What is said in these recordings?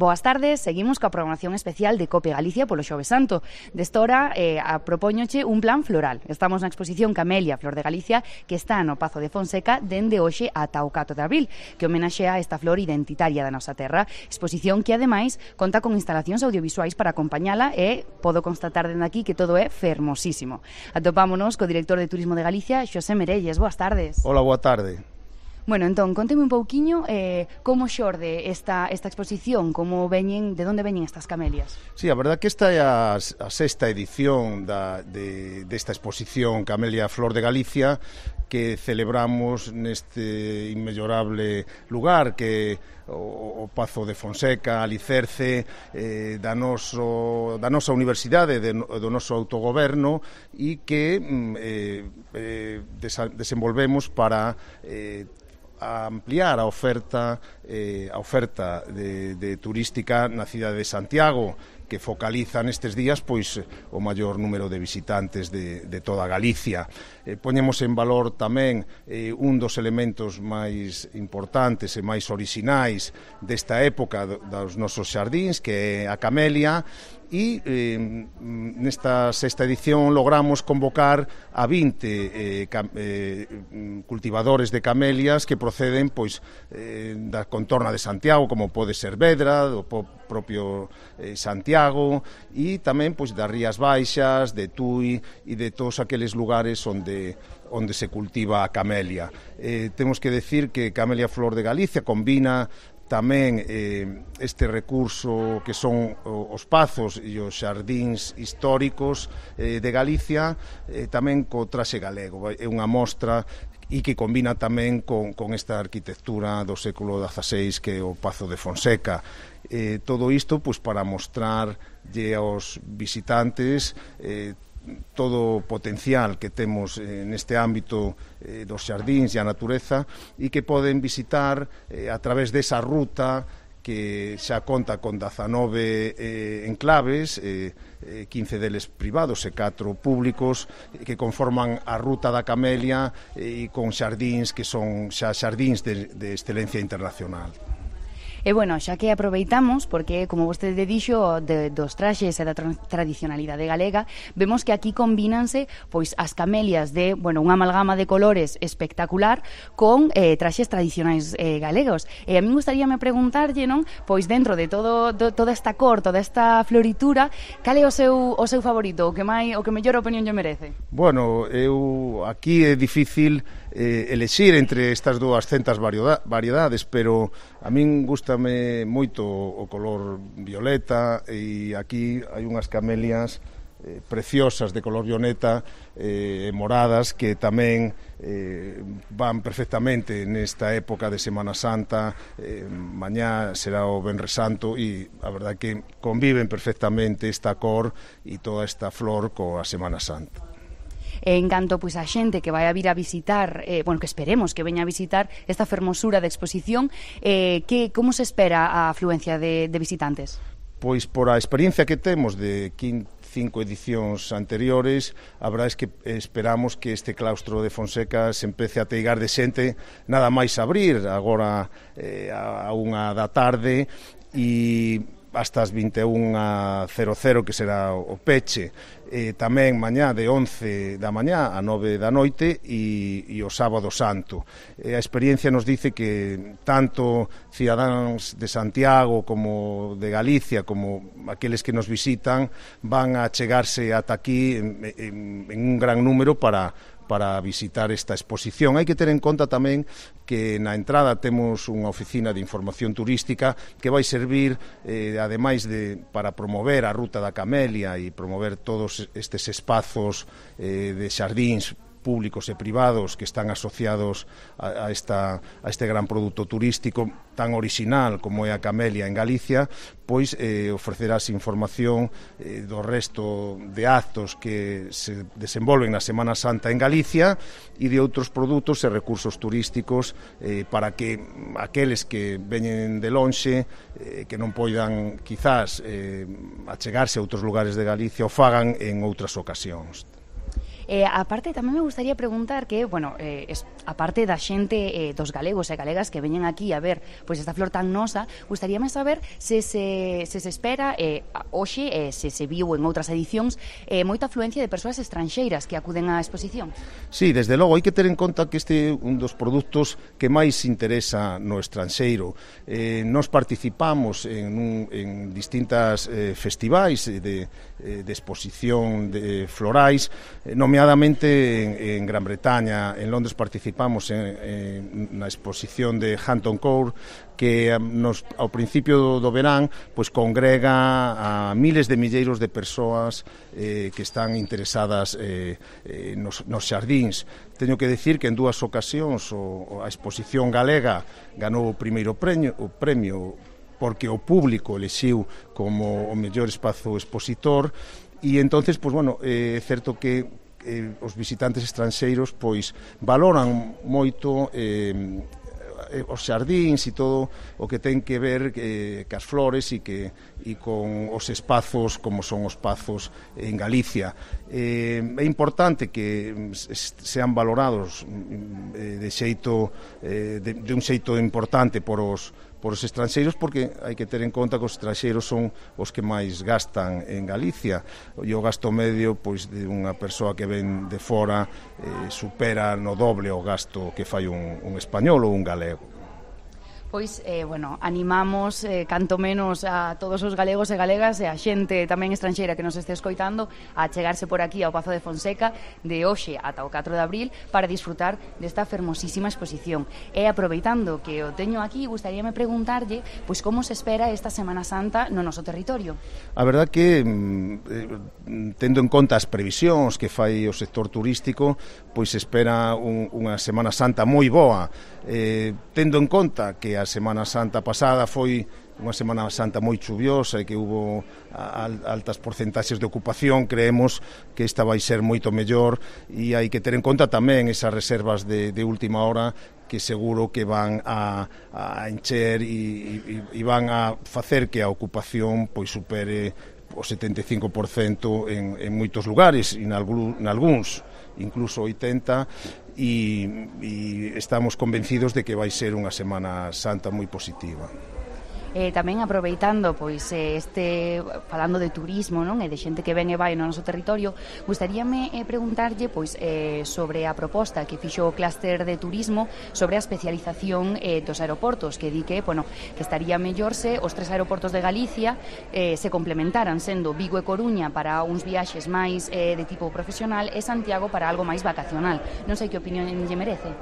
Boas tardes, seguimos coa programación especial de Cope Galicia polo Xoves Santo. Desta hora propóñoche un plan floral. Estamos na exposición Camelia, Flor de Galicia, que está no Pazo de Fonseca dende hoxe ata o 4 de abril, que homenaxea esta flor identitaria da nosa terra. Exposición que, ademais, conta con instalacións audiovisuais para acompañala e podo constatar dende aquí que todo é fermosísimo. Atopámonos co director de Turismo de Galicia, Xosé Merelles. Boas tardes. Hola, boa tarde. Bueno, entón, conteme un pouquiño como xorde esta exposición, de onde veñen estas camelias. Sí, a verdad que esta é a sexta edición desta exposición Camelia Flor de Galicia, que celebramos neste inmellorable lugar que o Pazo de Fonseca, alicerce da nosa universidade, do noso autogoberno, e que desenvolvemos para ampliar a oferta de turística na cidade de Santiago, que focaliza nestes días pois o maior número de visitantes de toda Galicia. Poñemos en valor tamén un dos elementos máis importantes e máis orixinais desta época dos nosos xardíns, que é a camelia, e nesta sexta edición logramos convocar a 20 cultivadores de camelias que proceden pois da contorna de Santiago, como pode ser Vedra, do propio Santiago, e tamén pois das Rías Baixas, de Tui e de todos aqueles lugares onde se cultiva a camelia. Temos que decir que Camelia Flor de Galicia combina tamén este recurso que son os pazos e os xardíns históricos de Galicia, tamén co traxe galego. É unha mostra e que combina tamén con esta arquitectura do século XVI, que é o Pazo de Fonseca. Todo isto pois para mostrarlle aos visitantes todo o potencial que temos neste ámbito dos xardíns e a natureza, e que poden visitar a través desa ruta que xa conta con 19 enclaves, 15 deles privados e 4 públicos, que conforman a ruta da camelia, e con xardíns que son xa xardíns de excelencia internacional. E, bueno, xa que aproveitamos, porque, como vostede dixo, dos traxes e da tradicionalidade galega, vemos que aquí combínanse pois as camelias de, bueno, unha amalgama de colores espectacular con traxes tradicionais galegos. E a min gustaríame preguntarlle, non, pois dentro de toda esta cor, toda esta floritura, cal é o seu favorito, o que mellor opinión lle merece? Bueno, aquí é difícil elexir entre estas 200 variedades, pero a min gustame moito o color violeta, e aquí hai unhas camelias preciosas de color violeta, moradas, que tamén van perfectamente nesta época de Semana Santa. Mañá será o Venres Santo, e a verdade que conviven perfectamente esta cor e toda esta flor coa Semana Santa. En canto pois a xente que vai a vir a visitar, que esperemos que veña a visitar esta fermosura de exposición, como se espera a afluencia de visitantes? Pois por a experiencia que temos de 5 edicións anteriores, a verdade é que esperamos que este claustro de Fonseca se empece a teigar de xente nada máis abrir, agora a 1 da tarde, e hasta as 21:00, que será o peche. Tamén mañá de 11 da mañá a 9 da noite, e o sábado santo. A experiencia nos dice que tanto cidadáns de Santiago como de Galicia, como aqueles que nos visitan, van a chegarse ata aquí en un gran número para visitar esta exposición. Hai que ter en conta tamén que na entrada temos unha oficina de información turística que vai servir, ademais para promover a ruta da camelia e promover todos estes espazos de xardíns públicos e privados que están asociados a este gran produto turístico tan orixinal como é a camelia en Galicia, pois ofrecerás información do resto de actos que se desenvolven na Semana Santa en Galicia e de outros produtos e recursos turísticos para que aqueles que veñen de lonxe, que non poidan quizás achegarse a outros lugares de Galicia, o fagan en outras ocasións. Aparte, tamén me gustaría preguntar que, bueno, aparte da xente dos galegos e galegas que veñen aquí a ver pois esta flor tan nosa, gustaríame saber se se espera hoxe, se viu en outras edicións, moita afluencia de persoas estranxeiras que acuden á exposición. Sí, desde logo, hai que ter en conta que este é un dos produtos que máis interesa no estranxeiro. Nos participamos en distintas festivais de exposición de florais, nomeadamente en Gran Bretaña. En Londres participamos na exposición de Hampton Court, que ao principio do verán pois congrega a miles de milleiros de persoas que están interesadas nos xardíns. Teño que decir que en dúas ocasións a exposición galega ganou o primeiro premio porque o público elixiu como o mellor espazo expositor, e entonces, pois, bueno, é certo que os visitantes estranxeiros pois valoran moito os xardíns e todo o que ten que ver cas flores e con os espazos como son os espazos en Galicia. É importante que sean valorados de un xeito importante por os estranxeiros, porque hai que ter en conta que os estranxeiros son os que máis gastan en Galicia, e o gasto medio pois de unha persoa que ven de fora supera no doble o gasto que fai un español ou un galego. Pois, bueno, animamos canto menos a todos os galegos e galegas e a xente tamén estranxeira que nos este escoitando a chegarse por aquí ao Pazo de Fonseca de hoxe ata o 4 de abril para disfrutar desta fermosísima exposición. E aproveitando que o teño aquí, gustaríame preguntarlle pois como se espera esta Semana Santa no noso territorio. A verdad que tendo en conta as previsións que fai o sector turístico, pois se espera unha Semana Santa moi boa, tendo en conta que a Semana Santa pasada foi unha Semana Santa moi chuviosa e que hubo altas porcentaxes de ocupación. Creemos que esta vai ser moito mellor, e hai que ter en conta tamén esas reservas de última hora que seguro que van a encher e van a facer que a ocupación pois supere o 75% en moitos lugares, e nalgúns incluso 80%, e estamos convencidos de que vai ser unha Semana Santa moi positiva. Tamén aproveitando pois falando de turismo, non, e de xente que ven e vai no noso territorio, gustaríame preguntarlle pois sobre a proposta que fixo o clúster de turismo sobre a especialización dos aeroportos, que di que, bueno, que estaría mellor se os tres aeroportos de Galicia se complementaran, sendo Vigo e Coruña para uns viaxes máis de tipo profesional e Santiago para algo máis vacacional. Non sei que opinión lle merece.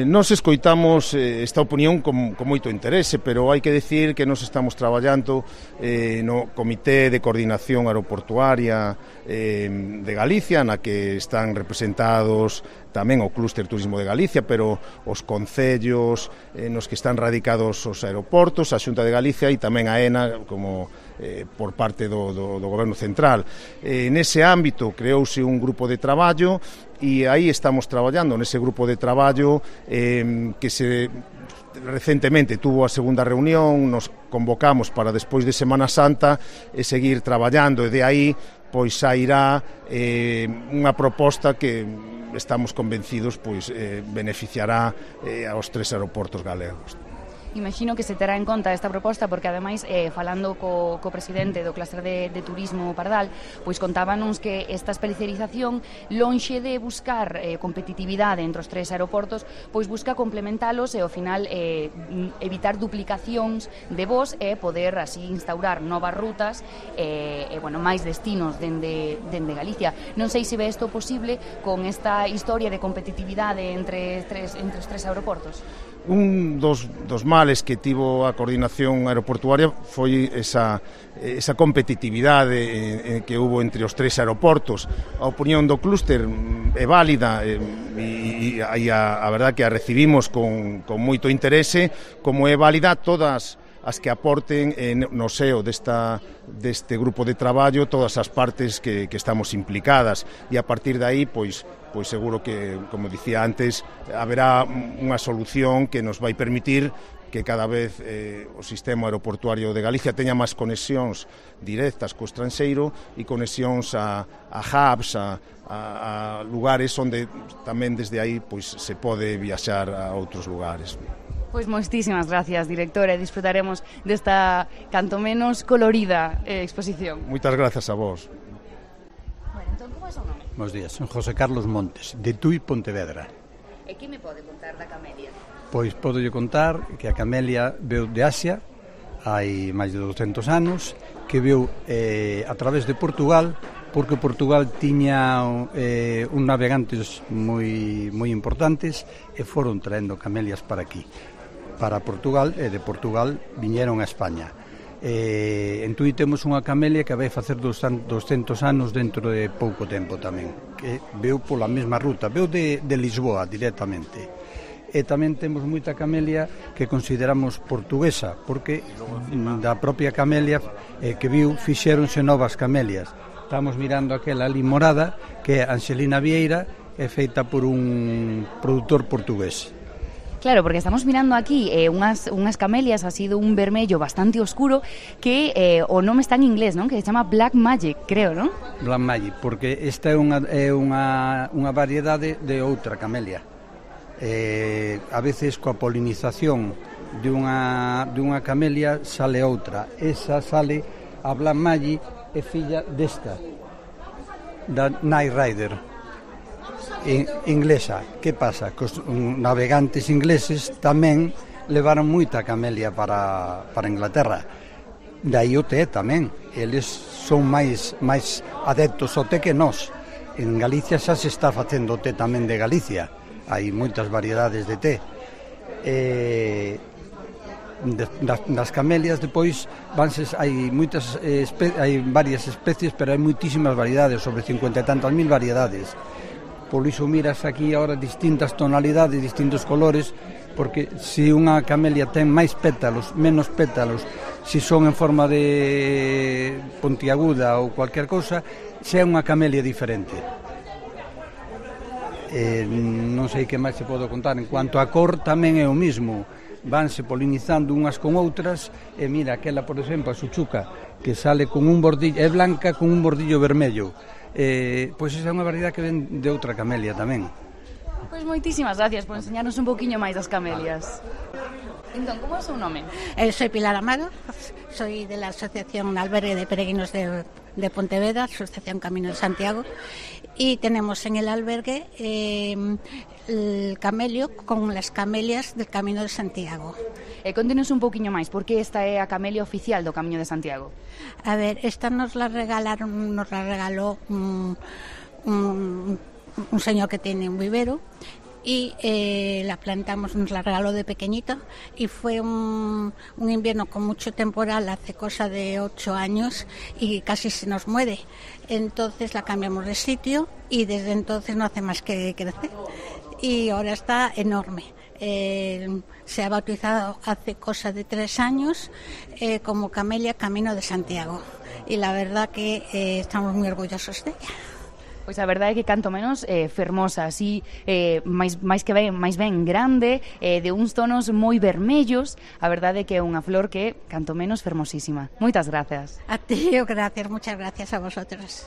Nos escoitamos esta opinión con moito interese, pero hai que decir que nos estamos traballando no Comité de Coordinación Aeroportuaria de Galicia, na que están representados tamén o Clúster Turismo de Galicia, pero os concellos nos que están radicados os aeroportos, a Xunta de Galicia e tamén a ENA como por parte do Goberno Central. Nese ámbito creouse un grupo de traballo e aí estamos traballando nese grupo de traballo que se recentemente tuvo a segunda reunión, nos convocamos para despois de Semana Santa e seguir traballando, e de aí pois sairá unha proposta que estamos convencidos pois beneficiará aos tres aeroportos galegos. Imagino que se terá en conta esta proposta porque, ademais, falando co presidente do clúster de turismo Pardal, pois contábanos que esta especialización, lonxe de buscar competitividade entre os tres aeroportos, pois busca complementalos e, ao final, evitar duplicacións de voos e poder así instaurar novas rutas e bueno, máis destinos dende Galicia. Non sei se ve isto posible con esta historia de competitividade entre os tres aeroportos. Un dos males que tivo a coordinación aeroportuaria foi esa competitividade que hubo entre os tres aeroportos. A opinión do clúster é válida e a verdad que a recibimos con moito interese, como é válida todas as que aporten no seo deste grupo de traballo todas as partes que estamos implicadas, e a partir de aí pois seguro que, como dicía antes, haberá unha solución que nos vai permitir que cada vez o sistema aeroportuario de Galicia teña máis conexións directas co estranxeiro e conexións a hubs, a lugares onde tamén desde aí pois se pode viaxar a outros lugares. Pois moitísimas gracias, director, e disfrutaremos desta canto menos colorida exposición. Moitas grazas a vos. Bueno, entón, como é o seu nome? Bos días, son José Carlos Montes, de Tui, Pontevedra. E que me pode contar da camelia? Pois podolle contar que a camelia veu de Asia hai máis de 200 anos, que veu a través de Portugal, porque Portugal tiña un navegantes moi importantes e foron traendo camelias para aquí, para Portugal, e de Portugal viñeron a España. En Tui temos unha camelia que vai facer 200 anos dentro de pouco tempo tamén, que veu pola mesma ruta, veu de Lisboa directamente. E tamén temos moita camelia que consideramos portuguesa, porque da propia camelia que viu fixéronse novas camelias. Estamos mirando aquela ali morada, que é Anxelina Vieira, é feita por un produtor portugués. Claro, porque estamos mirando aquí unhas camelias así de un vermello bastante oscuro que o nome está en inglés, non? Que se chama Black Magic, creo, non? Black Magic, porque esta é unha variedade de outra camelia. A veces coa polinización dunha camelia sale outra. Esa sale, a Black Magic é filla desta, da Night Rider inglesa. Que pasa? Que os navegantes ingleses tamén levaron moita camelia para Inglaterra. Daí o té tamén. Eles son máis adeptos ao té que nós. En Galicia xa se está facendo té tamén de Galicia. Hai moitas variedades de té. Das camelias depois hai varias especies, pero hai moitísimas variedades, sobre 50 e tantas mil variedades. Por iso miras aquí agora distintas tonalidades, distintos colores, porque se unha camelia ten máis pétalos, menos pétalos, se son en forma de pontiaguda ou cualquier cousa, xa é unha camelia diferente. Non sei que máis se pode contar. En cuanto a cor, tamén é o mismo, vanse polinizando unhas con outras. E mira, aquela, por exemplo, a suchuca, que sale con un bordillo, é blanca con un bordillo vermello, pois esa é unha variedade que ven de outra camelia tamén. Pois moitísimas gracias por enseñarnos un poquinho máis das camelias. Entón, como é o seu nome? Soy Pilar Amado, soy de la Asociación Albergue de Peregrinos de Pontevedra, Asociación Camino de Santiago, y tenemos en el albergue el camelio con las camelias del Camino de Santiago. Contenos un poquinho máis, porque esta é a camelia oficial do Camiño de Santiago. A ver, esta nos la regaló un señor que tiene un vivero, y la plantamos, nos la regaló de pequeñita, y fue un invierno con mucho temporal hace cosa de 8 años y casi se nos muere. Entonces la cambiamos de sitio y desde entonces no hace más que crecer y ahora está enorme. Se ha bautizado hace cosa de 3 años como Camelia Camino de Santiago, y la verdad que estamos muy orgullosos de ella. Pois a verdade é que canto menos fermosa, así máis ben grande, de uns tonos moi vermellos. A verdade é que é unha flor que canto menos fermosísima. Moitas grazas. A ti, gracias, muchas gracias a vosotros.